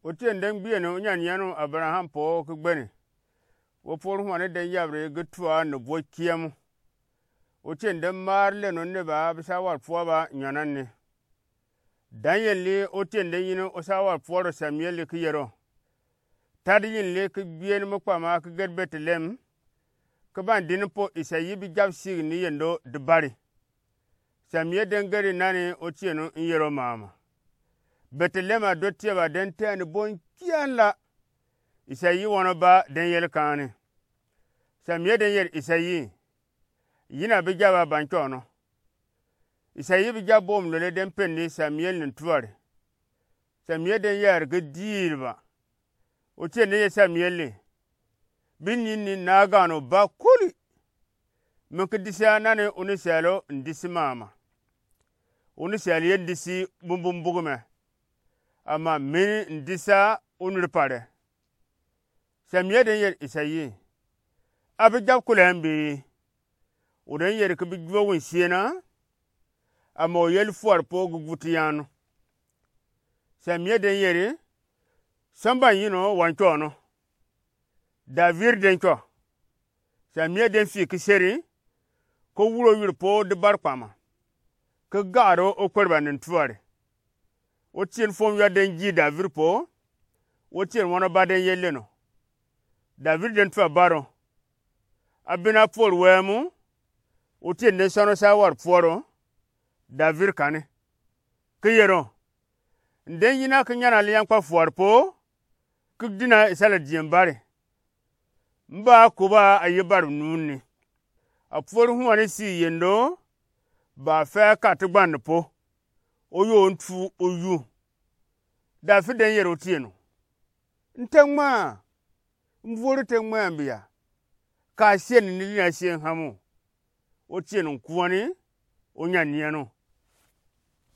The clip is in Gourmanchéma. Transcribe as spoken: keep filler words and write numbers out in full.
Otieni den gbieni onyanyianu Abaraham poo ki gbeni. Wopwor huani den yabri gi tua ni bwo kiemu. Otieni den maar leno neba bisa warpwua ba nyɔnanni. Daniel li otieni den yini osa warpwuɔro Samuel li ki yero. Tadi yinli ki gbieni mi kpama ki gedi Betlehem, ki bani dini po Isayi bi jap sigi ni yendo di bari. Samuel den gedi nani otieni n yero mama. Betlehem adottie ba den tɛɛ ni bon kianla. Isayi wɔnɔ ba den yeli kaani. Samuel den yeri Isayi, yini abi jap a ba nkyɔɔnɔ. Isayi bi jap boom lole den pendi Samuel ni tuari. Samuel den yari gi diidi ba. Otieni den yeri Samuel li, bi nyinni naagaano ba kuli. Mi ki disi a nani oni sɛɛlo n disi mama. Oni sɛɛlo ye n disi bumbum bugumɛ. Ama mini n disi a oni ripalɛ. Samuel den yeri Isayi, abi jap kulɛ mbii? O den yeri ki bi juo wunsiena. Ama o yeli fuari po gi guti yanu. Samuel den yeri, sɔmba n yinɔ wa nkyɔɔnɔ. David den nkyɔ. Samuel den fii ki seri, ki wuro yuri po di bari kpama, ki gaari okweri ba ni tuari. Otieni fom yua den ji David po. Otieni wɔnɔ ba den yeli leno. David den tua baro. Abina pori wɛɛmu. Otieni den sɔnɔ sa warpwuɔro. David kani, ki yero, n den yina ki nyana liankpa fuari po, ki dina isala diem bari. Mba kuba ayi bari nunni. Apwori huani si yendo, ba fɛ kati gbandi po. Oyo ntu oyu. David den yeri otieni, n te ŋmaa. Mvori te ŋmaa mbia. Ka sieni ni dina sie hamu. Otieni nkuani, onyanyianu.